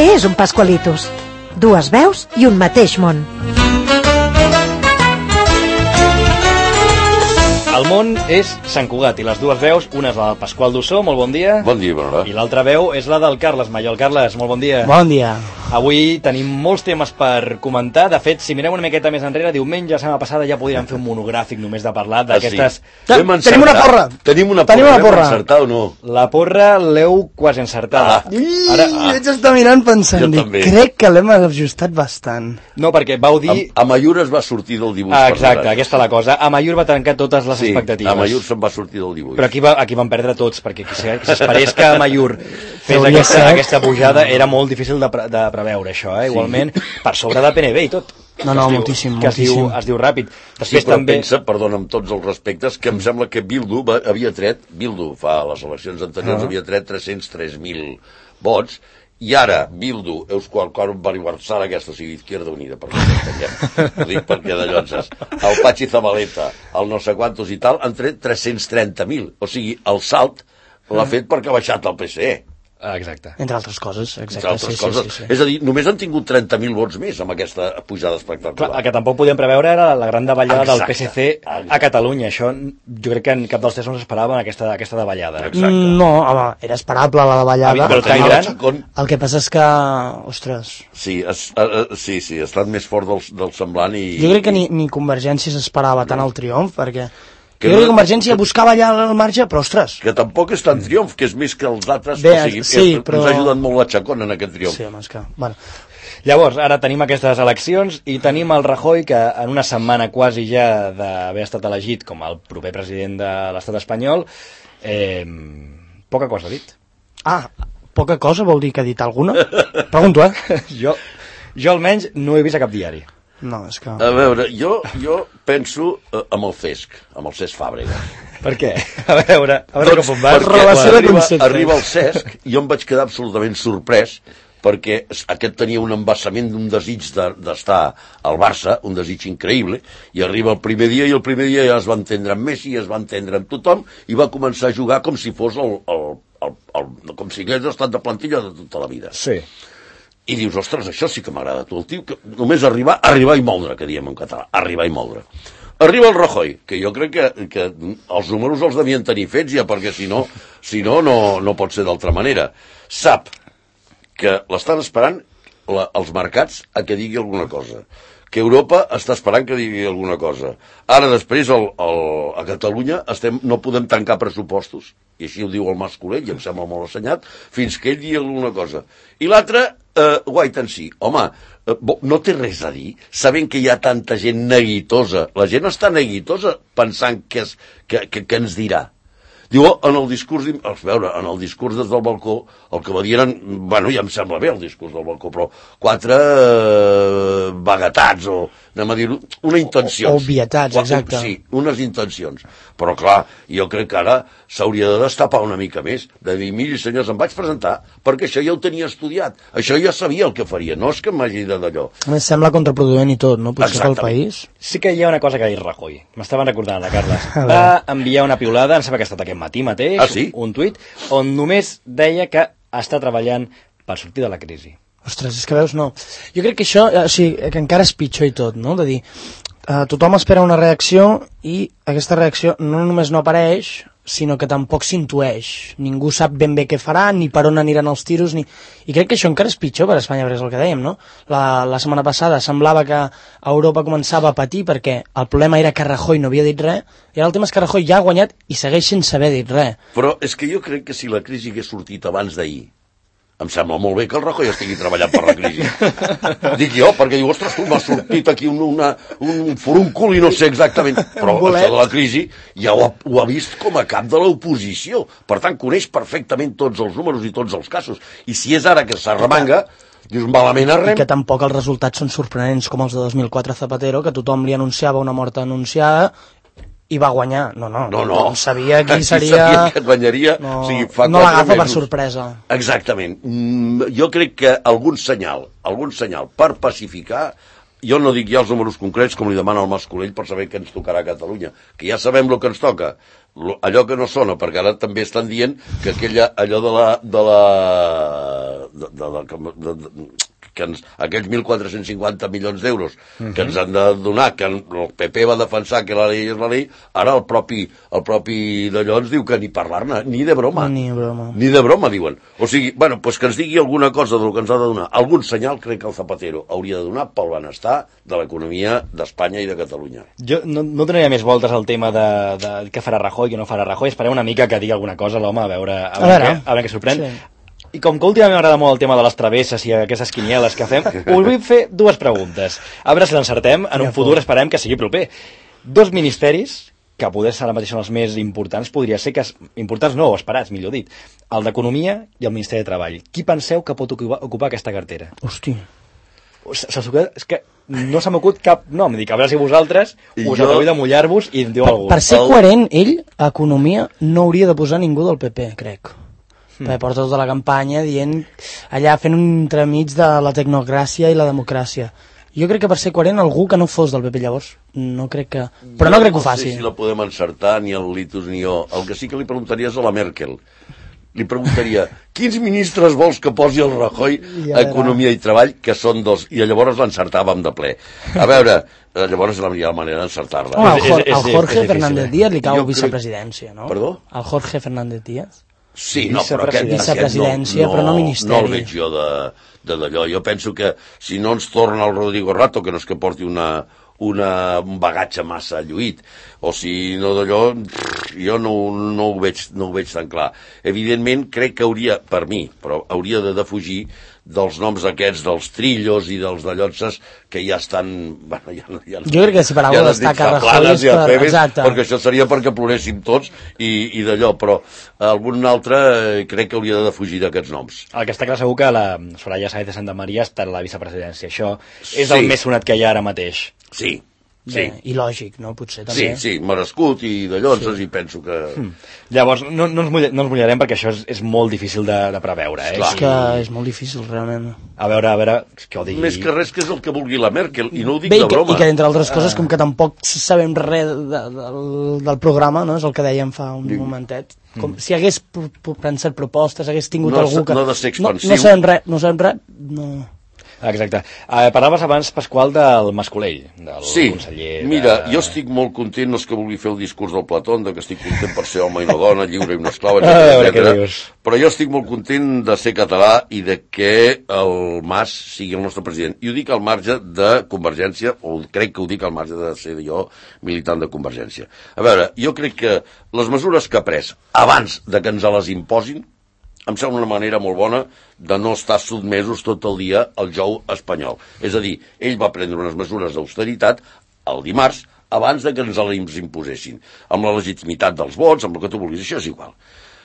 Què és un Pascualitos? Dues veus i un mateix món. El món és Sant Cugat i les dues veus, una és la del Pasqual Dussó, molt bon dia. Bon dia, Bernat. I l'altra veu és la del Carles Mallol. Carles, molt bon dia. Bon dia. Avui tenim molts temes per comentar. De fet, si mirem una miqueta més enrere, diumenge, la setmana passada, ja podríem fer un monogràfic només de parlar d'aquestes... Tenim una porra. Tenim una porra. Hem encertat o no? La porra l'heu quasi encertada. Vaig estar mirant pensant, crec que l'hem ajustat bastant. No, perquè vau dir... Amaiur es va sortir del dibuix. Exacte, aquesta és la cosa. Amaiur va trencar totes les expectatives. Amaiur se'n va sortir del dibuix. Però aquí van perdre tots, perquè qui s'esperés que Amaiur fes aquesta pujada era molt difícil de preveure, això, igualment, per sobre de PNB i tot. No, moltíssim. Es diu ràpid. Sí, però pensa, perdona, amb tots els respectes, que em sembla que Bildu fa les eleccions anteriors havia tret 303.000 vots, i ara Bildu, Euskal Baribarzal, aquesta, o sigui, Izquierda Unida, per ho dic perquè d'allò el Patxi Zabaleta, el no sé quantos i tal, han tret 330.000, o sigui, el salt l'ha fet perquè ha baixat el PSE. Exacte. Entre altres coses, exacte. Sí. És a dir, només han tingut 30.000 vots més amb aquesta pujada espectacular. Clar, el que tampoc podíem preveure era la gran davallada del PSC a Catalunya. Això jo crec que en cap dels tres no s'esperava aquesta davallada. No, home, era esperable la davallada. Però tan gran. El que passa és que, ostres... Sí, ha estat més fort del semblant i... Jo crec que ni Convergència s'esperava tant el triomf, perquè... Jo crec que Convergència buscava allà el marge, però ostres... Que tampoc és tan triomf, que és més que els altres, però... ens ha ajudat molt la Chacón en aquest triomf. Sí, home, és que... Bueno. Llavors, ara tenim aquestes eleccions i tenim el Rajoy, que en una setmana quasi ja d'haver estat elegit com el proper president de l'estat espanyol, poca cosa ha dit. Poca cosa vol dir que ha dit alguna? Pregunto, Jo almenys no he vist a cap diari. No, és que... A veure, jo penso amb el Cesc Fàbrega. Per què? A veure com on vas. Perquè arriba el Cesc i jo em vaig quedar absolutament sorprès perquè aquest tenia un embassament d'un desig d'estar al Barça, un desig increïble, i arriba el primer dia, i el primer dia ja es va entendre amb Messi, es va entendre amb tothom, i va començar a jugar com si fos com si hagués estat de plantilla de tota la vida. Sí. I dius, ostres, això sí que m'agrada tu, el tio, que només arribar i moldre, que diem en català, arribar i moldre. Arriba el Rajoy, que jo crec que els números els devien tenir fets ja, perquè si no pot ser d'altra manera. Sap que l'estan esperant els mercats a que digui alguna cosa, que Europa està esperant que digui alguna cosa. Ara, després, a Catalunya no podem tancar pressupostos, i així ho diu el Mas Colell, i em sembla molt assenyat, fins que ell digui alguna cosa. I l'altre, wait and see. Home, no té res a dir, sabent que hi ha tanta gent neguitosa. La gent està neguitosa pensant que ens dirà. Diu, en el discurs des del balcó, el que va dir eren, bueno, ja em sembla bé el discurs del balcó, però 4 vaguetats, o anem a dir-ho, una intenció. Obvietats, exacte. Sí, unes intencions. Però clar, jo crec que ara s'hauria de destapar una mica més, de dir, miri senyors, em vaig presentar, perquè això ja ho tenia estudiat, això ja sabia el que faria, no és que m'hagi de d'allò. A més, sembla contraproduent i tot, no? Potser pel país. Sí que hi ha una cosa que ha dit Rajoy, m'estaven recordant la Carles. Va enviar una piulada, em sembla que ha estat aquest matí mateix, un tuit, on només deia que està treballant per sortir de la crisi. Ostres, és que veus, no. Jo crec que això, o sigui, que encara és pitjor i tot, no? De dir, tothom espera una reacció i aquesta reacció no només no apareix, sinó que tampoc s'intueix. Ningú sap ben bé què farà, ni per on aniran els tiros, I crec que això encara és pitjor per Espanya, perquè és el que dèiem, no? La setmana passada semblava que Europa començava a patir perquè el problema era que Rajoy no havia dit res, i ara el tema és que Rajoy ja ha guanyat i segueix sense haver dit res. Però és que jo crec que si la crisi hagués sortit abans d'ahir, em sembla molt bé que el Rajoy estigui treballant per la crisi. Dic jo, perquè diu, ostres, tu m'ha sortit aquí un furúncul i no sé exactament. Però això de la crisi ja ho ha vist com a cap de l'oposició. Per tant, coneix perfectament tots els números i tots els casos. I si és ara que s'arremanga, dius, malament arrem. I que tampoc els resultats són sorprenents com els de 2004 Zapatero, que tothom li anunciava una mort anunciada i va guanyar. No. Sabia qui seria... Sabia que et guanyaria. No, o sigui, no l'agafa per sorpresa. Exactament. Jo crec que algun senyal per pacificar, jo no dic ja els números concrets com li demana el Mas Colell per saber què ens tocarà a Catalunya, que ja sabem el que ens toca, allò que no sona, perquè ara també estan dient que allò aquells 1.450 milions d'euros que ens han de donar, que el PP va defensar que la llei és la llei, ara el propi d'allò ens diu que ni parlar-ne, ni de broma. Ni de broma, diuen. O sigui, bueno, pues que ens digui alguna cosa del que ens ha de donar. Algun senyal crec que el Zapatero hauria de donar pel benestar de l'economia d'Espanya i de Catalunya. Jo no donaria més voltes al tema de què farà Rajoy, què no farà Rajoy. Esperem una mica que digui alguna cosa l'home, a veure què sorprèn. Sí. I com que últimament m'agrada molt el tema de les travesses i aquestes quinieles que fem, us vull fer dues preguntes. A veure si l'encertem, en un futur esperem que sigui proper. 2 ministeris, que poder ser ara mateix són els més importants, podria ser que... Importants no, o esperats, millor dit. El d'Economia i el Ministeri de Treball. Qui penseu que pot ocupar aquesta cartera? Hòstia. És que no se m'acut cap nom. Dic, a veure si vosaltres us acabeu de mullar-vos i en diu algú. Per ser coherent, ell, a Economia, no hauria de posar ningú del PP, crec. Perquè porta tota la campanya dient, allà fent un entremig de la tecnocràcia i la democràcia. Jo crec que per ser coherent algú que no fos del PP llavors, no crec que... Però no crec que ho faci. No sé si la podem encertar, ni el Litus ni jo. El que sí que li preguntaria és a la Merkel. Li preguntaria, quins ministres vols que posi el Rajoy a Economia i Treball, que són 2, i llavors l'encertàvem de ple. A veure, llavors la manera d'encertar-la. Al Jorge Fernández Díaz li cau vicepresidència, no? Perdó? Al Jorge Fernández Díaz? Sí, no, però aquest vicepresidència, però no ministeri. No el veig jo d'allò. Jo penso que si no ens torna el Rodrigo Rato, que no és que porti un bagatge massa lluït, o si no d'allò, jo no ho veig tan clar. Evidentment, crec que hauria, per mi, però hauria de defugir dels noms aquests, dels trillos i dels dallotses que ja estan... Bueno, jo crec que si per alguna destaca Rajoy és per... Exacte. Perquè això seria perquè ploréssim tots i d'allò, però algun altre crec que hauria de defugir d'aquests noms. El que està clar segur que la Soraya Sáenz de Santa Maria està a la vicepresidència. Això és el més sonat que hi ha ara mateix. Sí. Bé, i lògic, no? Potser també. Sí, merescut i d'allò, i penso que... Llavors, no ens mullarem perquè això és molt difícil de preveure. És que és molt difícil, realment. A veure, què ho digui... Més que res que és el que vulgui la Merkel, i no ho dic de broma. I que, entre altres coses, com que tampoc sabem res del programa, no? És el que dèiem fa un momentet. Com si hagués pensat propostes, hagués tingut algú que... No ha de ser expansiu. No sabem res, no... Exacte. Parlaves abans, Pasqual, del Mascolell, del conseller... Sí, mira, jo estic molt content, no és que vulgui fer el discurs del Platón, que estic content per ser home i no dona, lliure i una esclava, etc. Però jo estic molt content de ser català i de que el Mas sigui el nostre president. I ho dic al marge de Convergència, o crec que ho dic al marge de ser jo militant de Convergència. A veure, jo crec que les mesures que ha pres abans de que ens les imposin em sembla una manera molt bona de no estar sotmesos tot el dia al jou espanyol. És a dir, ell va prendre unes mesures d'austeritat el dimarts abans de que ens les imposessin, amb la legitimitat dels vots, amb el que tu vulguis, això és igual.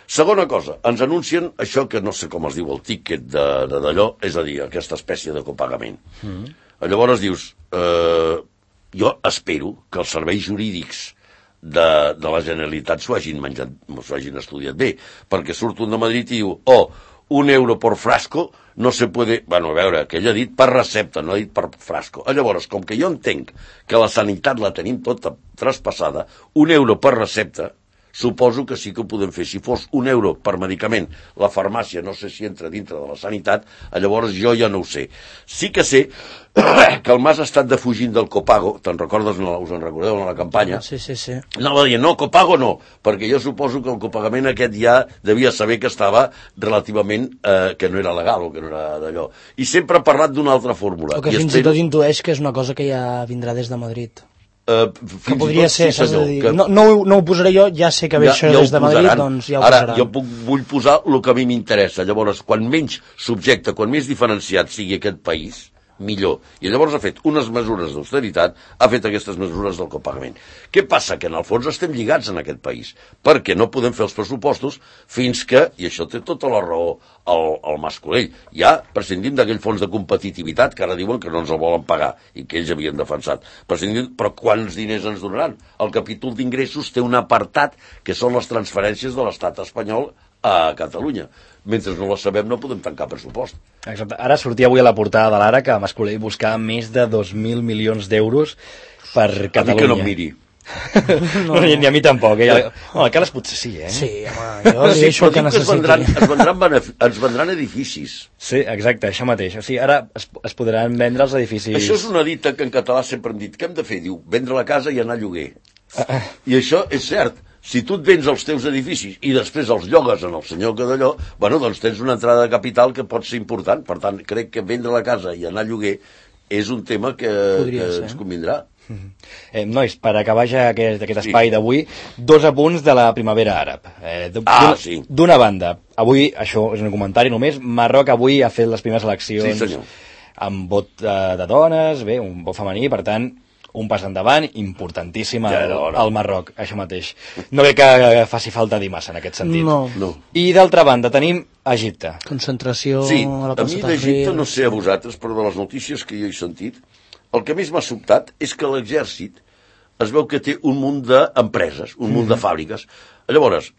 Segona cosa, ens anuncien això que no sé com es diu el tiquet d'allò, és a dir, aquesta espècie de copagament. Llavors dius, jo espero que els serveis jurídics de la Generalitat s'ho hagin estudiat bé, perquè surt un de Madrid i diu, 1 euro por frasco no se puede... Bueno, a veure, que ell ha dit per recepta, no ha dit per frasco. Llavors, com que jo entenc que la sanitat la tenim tota traspassada, 1 euro per recepta, suposo que sí que ho podem fer. Si fos 1 euro per medicament, la farmàcia no sé si entra dintre de la sanitat, llavors jo ja no ho sé. Sí que sé que el Mas ha estat defugint del copago, te'n recordes, us en recordeu en la campanya? Sí. Anava dient, no, copago no, perquè jo suposo que el copagament aquest ja devia saber que estava relativament, que no era legal o que no era d'allò. I sempre ha parlat d'una altra fórmula. O que fins i tot intueix que és una cosa que ja vindrà des de Madrid. Que podria ser, saps de dir, no ho posaré jo, ja sé que ve això des de Madrid, doncs ja ho posaran. Ara, jo vull posar el que a mi m'interessa. Llavors, quan menys subjecte, quan més diferenciat sigui aquest país, millor. I llavors ha fet unes mesures d'austeritat, ha fet aquestes mesures del copagament. Què passa? Que en el fons estem lligats en aquest país, perquè no podem fer els pressupostos fins que, i això té tota la raó el Mascolell, ja prescindim d'aquell fons de competitivitat que ara diuen que no ens el volen pagar i que ells havien defensat. Però quants diners ens donaran? El capítol d'ingressos té un apartat que són les transferències de l'estat espanyol a Catalunya. Mentre no la sabem no podem tancar pressupost. Exacte. Ara sortia avui a la portada de l'Ara que Mascolell buscava més de 2.000 milions d'euros per Catalunya. A mi que no em miri. No, ni a mi tampoc. El Carles potser sí, eh? Sí, home, jo li deixo el que necessiti. Es vendran edificis. Sí, exacte, això mateix. O sigui, ara es podran vendre els edificis... Això és una dita que en català sempre hem dit. Què hem de fer? Diu, vendre la casa i anar a lloguer. I això és cert. Si tu et vens els teus edificis i després els llogues en el senyor que d'allò, bueno, doncs tens una entrada de capital que pot ser important. Per tant, crec que vendre la casa i anar a lloguer és un tema que ens convindrà. Nois, per acabar ja aquest espai d'avui, 2 apunts de la primavera àrab. Sí. D'una banda, avui, això és un comentari només, Marroc avui ha fet les primeres eleccions amb vot de dones, bé, un vot femení, per tant, un pas endavant importantíssim al Marroc, això mateix. No crec que faci falta dir massa en aquest sentit. No. I d'altra banda tenim Egipte. Concentració a la mi d'Egipte, no sé a vosaltres, però de les notícies que jo he sentit, el que més m'ha sobtat és que l'exèrcit es veu que té un munt d'empreses, un munt de fàbriques. Llavors,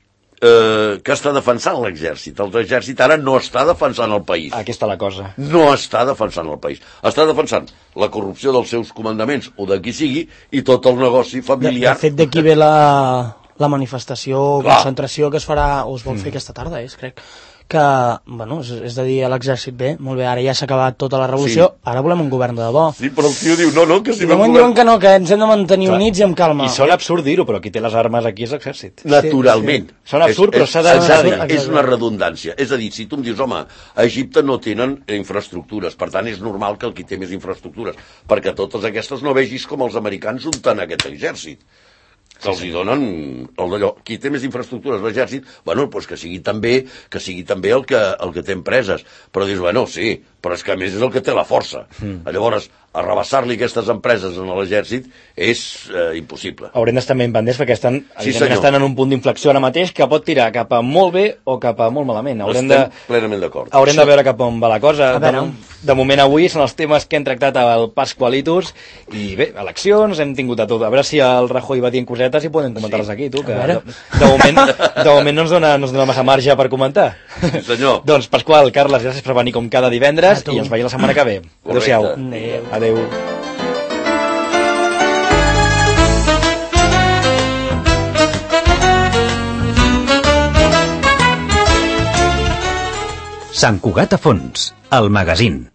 que està defensant l'exèrcit? L'exèrcit ara no està defensant el país. Aquí està la cosa. No està defensant el país. Està defensant la corrupció dels seus comandaments o de qui sigui i tot el negoci familiar. De fet, d'aquí ve la manifestació o concentració que es farà, o es vol fer aquesta tarda, crec que, bueno, és de dir a l'exèrcit, bé, molt bé, ara ja s'ha acabat tota la revolució, ara volem un govern de debò. Sí, però el tio diu, no, que si no... I diuen que no, que ens hem de mantenir units i amb calma. I sona absurd dir-ho, però qui té les armes aquí és l'exèrcit. Naturalment. Sí. Sona absurd, però s'ha de dir. És una redundància. És a dir, si tu em dius, home, a Egipte no tenen infraestructures, per tant és normal que el qui té més infraestructures, perquè totes aquestes no vegis com els americans unten aquest exèrcit. Que els hi donen el d'allò. Qui té més infraestructures, l'exèrcit, bueno, doncs que sigui també el que té empreses. Però dius, bueno, sí, però és que a més és el que té la força. Llavors, arrabassar-li aquestes empreses en l'exèrcit és impossible. Haurem d'estar ben pendents perquè estan en un punt d'inflexió ara mateix que pot tirar cap a molt bé o cap a molt malament. Estem plenament d'acord. Haurem de veure cap on va la cosa. De moment avui són els temes que hem tractat al Pasqualitus i bé, eleccions, hem tingut a tot. A veure si el Rajoy va dient cosetes i podem comentar-les aquí, tu, que de moment no ens dona massa marge per comentar. Sí, senyor. Doncs Pasqual, Carles, gràcies per venir com cada divendres i ens veiem la setmana que ve. Adéu-siau. Adéu. Sant Cugat a fons, el magazín.